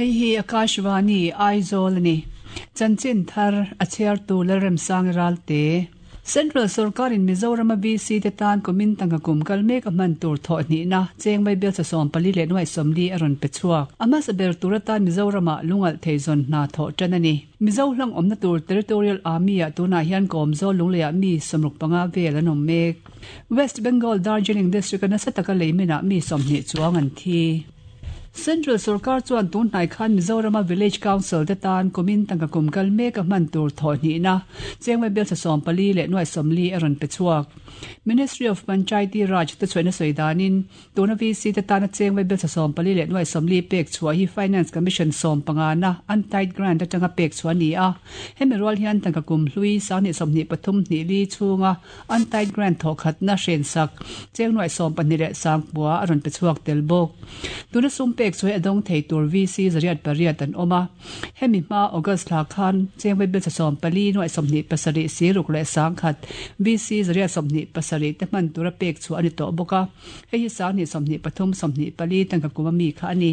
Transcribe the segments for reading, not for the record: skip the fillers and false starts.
Hei hi Akashvani, Aizawl a ni. Chanchin thar a chhiartu Lalremsangi Ralte. Central sorkarin Mizorama VC te tan kumin tangka kum kal mek a hman tur thawh hnihna cheng Vaibel sa 14 leh nuaih 40 a rawn pe chhuak. A hmasa ber tur atan Mizoramah lungalh thei zawn hna thawh tan a ni. Mizo hlang awmna tur Territorial Army-ah tunah hian Kawmzawl Lungleiah mi 65 vel an awm mek. West Bengal Darjeeling District-a nasa taka leiminah mi 20 chuang an thi. Central sorkar chuan tun hnai khan Mizorama Village Council te tan kumin tangka kum kal mek a hman tur thawh hnihna chengmai bel sa 14 leh nuaih 40 a rawn pe chhuak. Ministry of Panchayati Raj te chhuahna sawi danin tuna VC te tana chengmai bel sa 14 leh nuaih 40 pek chhuah hi Finance Commission 15na untied grant atanga pek chhuah a ni a. Hemi rual hian tangka kum hlui 2023 hnih li chhunga Untied grant thawhkhatna hrensak cheng nuaih 12 leh 9,000 a rawn pe chhuak tel bawk. Tuna sum pek chu hei a dawng thei tur VC 808 an awm a. Hemi hma August thla khan cheng vaibel sa 14 nuaih 27 siruk leh 10,000 VC 127 te hman tura pek chhuah a ni tawh bawk a. Hei hi 2023 24 tangka kum a mi kha a ni.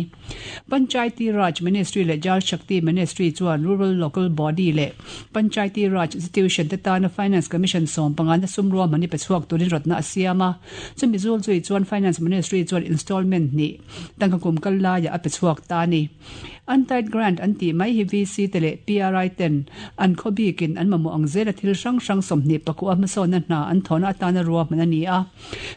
Panchayati Raj Ministry leh Jal Shakti Ministry chuan Rural Local Body leh Panchayati Raj Institution te tana Finance Commission 15 na sum ruahman hi pe chhuak turin rawtna a siam a. Chumi zul zui chuan Finance Ministry chuan installment hnih tangka kum kal laiah a pe chhuak ta a ni. Untied grant an tih mai hi VC te leh PRI ten an khaw bikin an mamawh ang zela thil hrang hrang 29 hmasawnna hna an thawhna atana ruahman a ni a.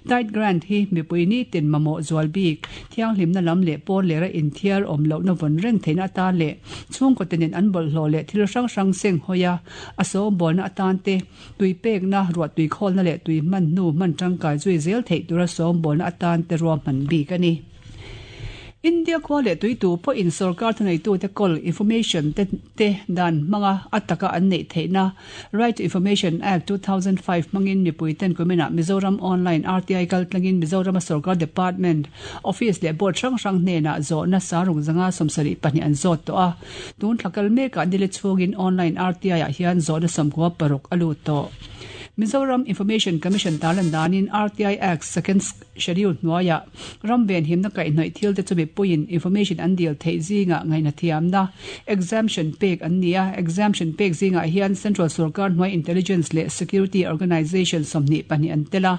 Tied grant hi mipui nitin mamawh zual bik, thianghlimna lam leh pawn lera inthiar awm lohna vawn reng theihna atan leh chhungkaw tenin an bawlhhlawh leh thil hrang hrang seng hawi a, a sawmbawlna atan te, tui pekna, ruahtui khawlna leh tui hman hnu hman tangkai zui zel theih tura sawmbawlna atan te ruahman bik a ni. India khua leh tui tu pawhin sorkar thuneitute kawl information te te dan hmanga a taka an neih theihna Right to Information Act 2005 hmangin mipuiten kuminah Mizoram Online RTI kaltlangin Mizorama sorkar department, office leh board hrang hrang hnenah zawhna saruk zanga 72 an zawt tawh a. Tun thla kal mekah nile chhungin Online RTI ah hian zawhna 96 a lut tawh. Mizoram Information Commission tarlan danin RTI Act Second Schedule hnuaiah ram venhimna kaihhnawih thil te chu mipuiin information an dil theih zingah ngaihna thiamna, exemption, pek an ni a. Exemption pek zingah hian Central sorkar hnuai Intelligence leh Security Organisation 22 an tel a.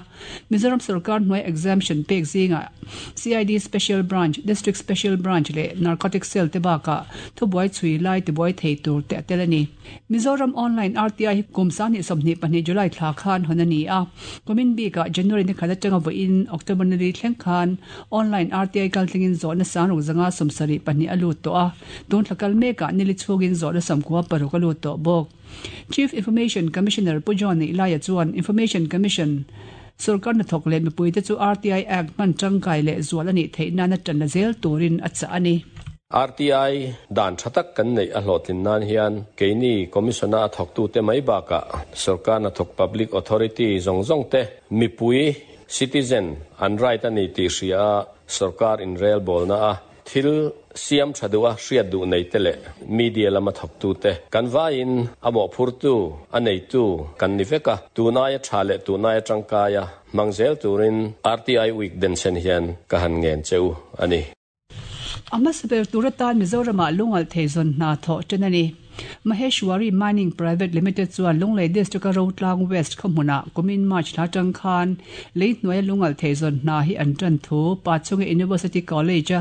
Mizoram sorkar hnuai exemption pek zingah CID Special Branch, District Special Branch leh Narcotic Cell te bakah thubuai chhui lai tibuai thei tur te a tel a ni. Mizoram Online RTI hi kum 2022 July thla khan hawn a ni a. Kumin bikah January ni khat atanga vawiin October ni li thleng khan Online RTI kaltlingin zawhna sangruk zanga 72 a lut tawh a. Tun thla kal mekah nili chhungin zawhna 96 a lut tawh bawk. Chief Information Commissioner Pu John Neihlaia chuan Information Commission sorkar hnathawk leh mipuite chu RTI Act hman tangkai leh zual a nih theih nana tan la zel turin a chah a ni. RTI dan tha tak kan neih a hlawhtlin nan hian keini Commission-a a thawktute mai bakah sorkar hnathawk Public Authority zawng zawng te mipui, citizen, an right a ni tih hria a sorkar inrelbawlna a thil siam tha duh a hriat duh nei te leh media lama thawktute kan vaiin a mawhphurtu, a neitu kan ni vek a, tunaia tha leh tunaia tangkaia hmang zel turin RTI Week denchhen hian ka han ngen che u a ni. A hmasa ber tur atan Mizoramah lungalh thei zawn hna thawh ṭan a ni. Maheshwari Mining Private Limited chuan Lunglei District-a Rotlang West khawhmunah kumin March thla aṭang khan lei hnuaia lungalh thei zawn hna hi an ṭan thu Pachunga University College-a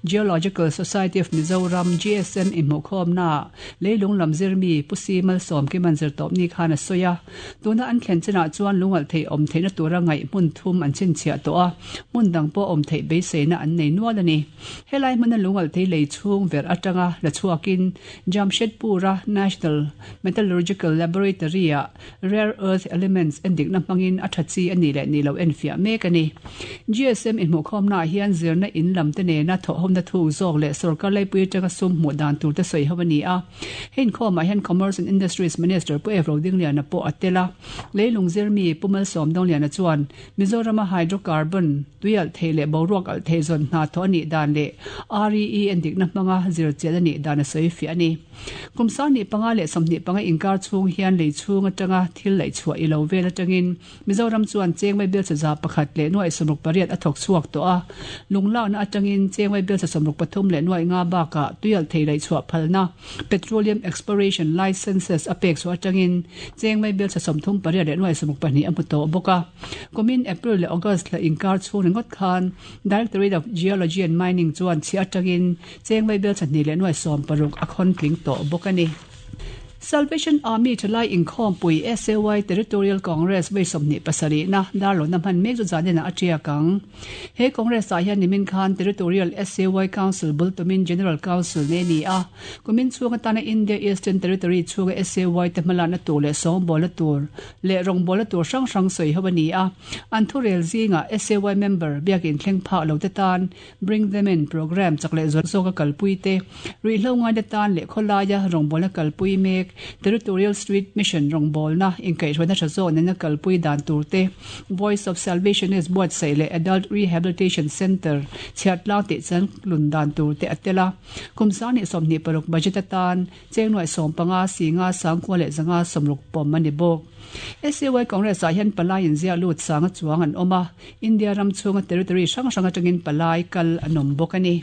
Geological Society of Mizoram, GSM, inhmuhkhawmnaah leilung lam zirmi Pu Si Malsawmkima'n zirtawpni khan a sawi a. Tuna an thlen chinah chuan lungalh theih awm theihna tura ngaih hmun thum an chhinchhiah tawh a, hmun dang pawh awm theih beiseina an nei nual a ni. Helai hmuna lungalh thei lei chhung verh atanga la chhuakin Jamshedpur-a National Metallurgical Laboratory-ah Rare Earth Elements endikna hmangin a tha chi a nih leh nih loh enfiah mek a ni. GSM inhmuhkhawmnaah hian zirna in lam te nena thawhhawmna thuk zawk leh sorkar laipui atanga sum hmuh dan tur te sawi ho a ni a. Hei inkhawmah hian Commerce and Industries Minister Pu Ev Rodingliana pawh a tel a. Leilung zirmi Pu Malsawm Dongliana chuan Mizorama hydrocarbon, tui alh thei leh boruak alh thei zawn hna thawh a nih dan leh REE endikna hmanga zirchian a nih dan a sawi fiah a ni. Kum. Kum 25 leh 25 inkar chhung hian lei chhung atanga thil laih chhuah i lo vel atangin Mizoram chuan cheng vaibelchhe 1 168 a thawk chhuak tawh a. Lunglakna atangin cheng vaibelchhe 63.5 bakah tuialhthei laih chhuah phalna, Petroleum Exploration Licences, a pek chhuah atangin cheng vaibelchhe 38.62 a hmu tawh bawk a. Kumin April leh August thla inkar chhung ringawt khan Directorate of Geology and Mining chuan chhiah atangin cheng vaibelchhe 2.60 a khawn tling tawh bawk a ni. Salvation Army thalai inkhawmpui SAY Territorial Congress vawi 27 na darlawna hman mek chu zaninah a tiak ang. He Congress ah hian nimin khan Territorial SAY Council bul tumin General Council nei a ni a. Kumin chhung atana India Eastern Territory chhunga SAY te hmalakna tur leh sawngbawlna tur leh rawngbawlna tur hrang hrang sawi ho a ni a. An thurel zingah SAY member biakin thleng phak lo te tan Bring Them In programme chak leh zual zawka kalpui te, ruihhlo ngaina tan leh khawlaia rawngbawlna kalpui mek, Territorial Street Mission rawngbawlna inkaihhruaina tha zawk nena kalpui dan tur te, Voice of Salvationist buatsaih leh Adult Rehabilitation Centre chhiat tlang tih chan lun dan tur te a tel a. Kum 2026 budget atan cheng nuaih 15 singa sangkua leh 560 pawm a ni bawk. SAY Congress ah hian palai inziah lut sanga chuang an awm a. India ram chhunga territory hrang hrang atangin palai kal an awm bawk a ni.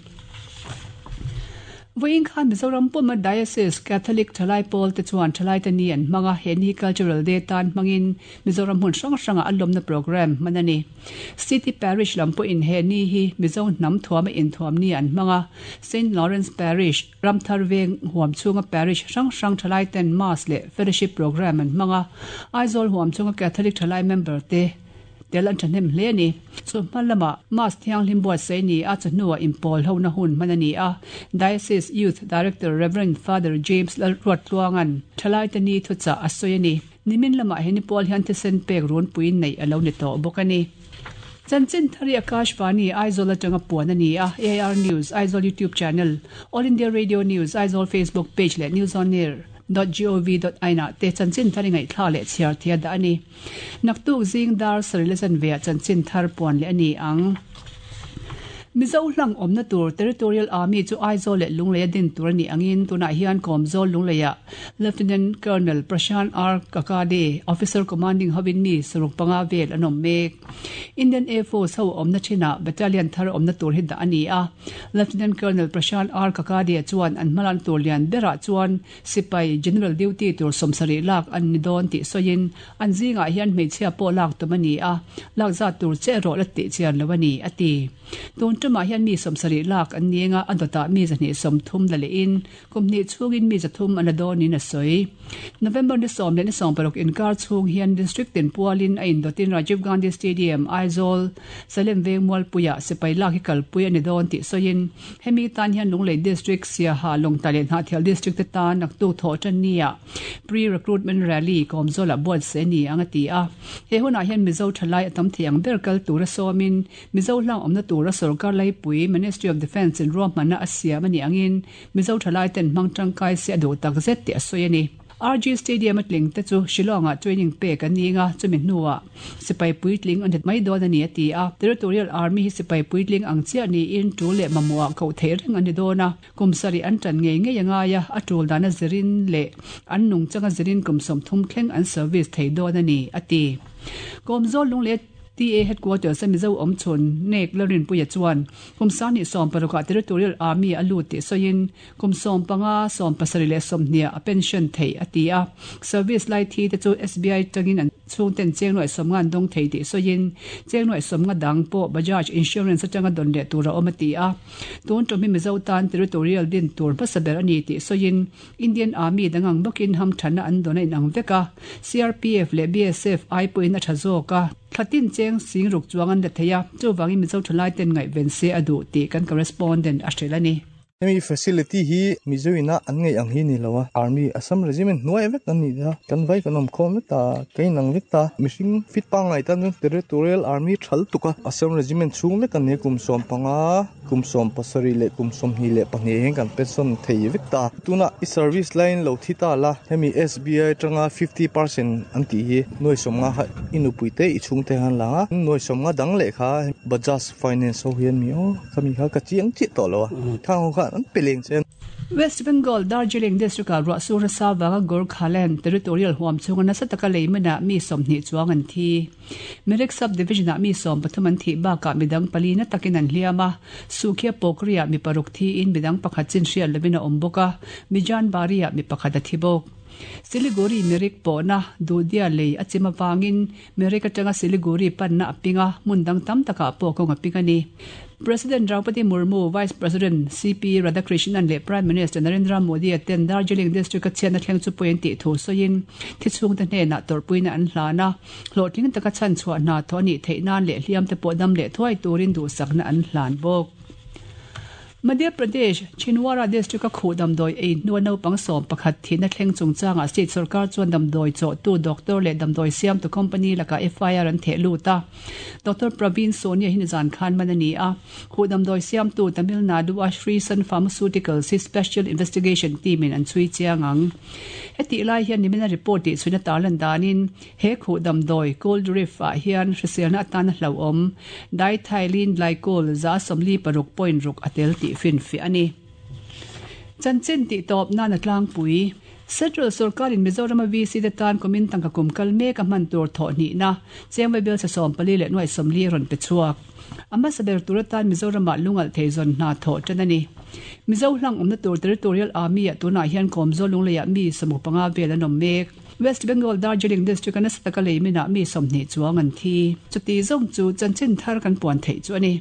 Vawiin khan Mizoram puma Diocese Catholic Thalai Pawl te chuan Thalaite Ni an hmang a, he ni Cultural Day tan hmangin Mizoram hmun hrang hrangah a lawmna programme hman a ni. City Parish lam pawhin he ni hi Mizo hnam thuama inthuam ni an hmang a, Saint Lawrence Parish, Ramthar Veng huam chhunga Parish hrang hrang thalai ten Mass leh Fellowship programme an hmang a, Aizawl huam chhunga Catholic thalai member te Tel an thahnem hle a ni. Chu hma lamah Mass thianghlim buatsaih a ni a, chawhnuah inpawl hona hun hman a ni a. Diocese Youth Director Rev. Father James Lalruattluanga'n thalaite ni thuchah a sawi a ni. Nimin lamah he ni pawl hian thisen pek runpui neih a lo ni tawh bawk a ni. Chanchin Thari Akashvani, Aizawl atanga puan a ni a, AIR News, Aizawl YouTube Channel, All India Radio News, Aizawl Facebook Page leh News On Air dot gov dot in ah te Chanchin Thari ngaihthlak leh chhiar thei a dah a ni. Naktuk zing dar sarih la zanve ah chanchin thar puan leh a ni ang. Mizo hlang awmna tur Territorial Army chu Aizawl leh Lungleia din tur a nih angin tunah hian Kawmzawl Lungleia Lieutenant Colonel Prashant R Kakade, Officer Commanding hovin mi saruk panga vel an awm mek. Indian Air Force ho awmna thinah Battalion thar awmna tur hi dah a ni a. Lieutenant Colonel Prashant R Kakade chuan an hmalakna tur lian berah chuan Sipai General Duty tur 70 lak an ni dawn tih sawiin, an zingah hian hmeichhia pawh lak tum a ni a, lak zat tur che erawh la tih chian lo a ni, a ti. Tun tumah hian mi 70 lak an ni anga a dawtah mi 230 la lehin kum hnih chhungin mi 300 an la dawnin a sawi. November ni sawm leh ni 16 inkar chhung hian District tin pualin a indawtin Rajiv Gandhi Stadium, Aizawl, Salem Veng Mualpuiah sipai lak hi kalpui a ni dawn tih sawiin, Hemi tan hian Lunglei District, Siaha, Lawngtlai leh Hnahthial District te tan naktuk thawh tan nia Pre-Recruitment Rally Kawmzawlah buatsaih a ni ang a ti a. He hunah hian Mizo thalai a tam thei ang ber kal tura sawmin Mizo hlang awmna tura sawrkar laipui Ministry of Defence in ruahmanna a siam a nih angin Mizo thalai ten hmang tangkai se a duh takzet tih a sawi a ni. RG Stadium a tling te chu Shillong-ah training pek an ni anga chumi hnuah sipai puitling an rit mai dawn a ni a ti a. Territorial Army hi sipai puitling ang chiah niin tul leh mamawhah koh theih reng an ni dawn a, kum sarih an tan ngei ngei a ngai a, a tul dana zirin leh an nungchanga zirin kum 30 thleng an service thei dawn a ni a ti. Kawmzawl Lungleh TA Headquarters a Mizo awmchhun Nek Lalrinpuia chuan kum 2016 ah Territorial Army a lut tih sawiin Kum 15, 17 leh 20 a pension theih a ti a. Service lai thi te chu SBI tangin an chhungten cheng nuaih 50 an dawng thei tih sawiin cheng nuaih 50 dang pawh Bajaj Insurance atanga dawn leh tur a awm a ti a. Tun tum hi Mizo tan territorial din tur hmasa ber a ni tih sawiin Indian Army dang ang bawkin hamthanna an dawn a inang vek a. CRPF leh BSF ai pawhin a tha zawk a. Thla tin cheng sing ruk chuang an la thei a, chuvangin Mizo thalai ten ngaihven se a duh tih kan correspondent a hrilh a ni. Hemi facility hi Mizo ina an ngaih ang hi ni lo a, Army Assam Regiment hnuai vek an nih a, kan vai kan awm khawm vek ta, ka inang vek ta, mihring fit pangngai tan chuan Territorial Army thal tuk a, Assam Regiment chhung vek an ni a, kum 15, kum 17 leh kum 22 hian kan pension thei vek ta. Tunah i service laiin lo thi ta la, hemi SBI atanga 50% an tih hi nuai 50 kha i nupui te i chhungte khan lang a, nuai 50 dang leh kha Bajaj Finance ho hian mi aw. Khami kha ka chiang chiah tawh lo a, khang ho khan an pe leng che. West Bengal Darjeeling district-ah ruah sur nasa vanga Gorkhaland territorial huam chhunga nasa taka lei manah mi 20 chuang an thi. Mirik sub-division-ah mi 13 an thih bakah midang pali na takin an hliam a, Sukhia Pokri-ah mi paruk thiin midang pakhat chin hriat lovin a awm bawk a, Mijan Bari-ah mi pakhat a thi bawk. Siliguri Mirik pawhna Dudia lei a chim avangin Mirik atanga Siliguri panna a ping a, hmun dang tam takah pawh kawng a ping a ni. President Draupadi Murmu, Vice President CP Radhakrishnan leh Prime Minister Narendra Modi-a ten Darjeeling District-a chhiatna thleng chu pawi an tih thu sawiin thi chhungte hnenah tawrhpuina an hlan a, hlawhtling taka chhanchhuah hna thawh a nih theih nan leh hliamte pawh dam leh thuai turin duhsakna an hlan bawk. Madhya Pradesh, Chhindwara district-a khuh damdawi ei hnua naupang 11 thihna thleng chungchangah state sorkar chuan damdawi chawhtu doctor leh damdawi siamtu company lakah FIR an theh lut a. Doctor Praveen Sonia hi nizan khan man a ni a. Khuh damdawi siamtu Tamil Nadu-a Sri Sun Pharmaceuticals hi Special Investigation Team-in an chhui chiang ang. Hetih lai hian nimina report tih chhuina tarlan danin He khuh damdawi, cold reef, ah hian hriselna atana hlauhawm, diethylene glycol, 46.6 a tel tih finfiah a ni. Chanchin tih tawp nan a tlangpui. Central sorkarin Mizorama VC te tan kumin tangka kum kal mek a hman tur thawh hnihna Chengwei bial 44 leh nuaih 40 a rawn pe chhuak. A hmasa ber tur atan Mizoramah lungalh thei zawn hna thawh tan a ni. Mizo hlang awmna tur Territorial Army-ah tunah hian Kawmzawl Lungleiah mi 15 vel an awm mek. West Bengal Darjeeling district-a nasa taka lei minah mi 20 chuang an thi. Chuti zawng chu chanchin thar kan puan theih chu a ni.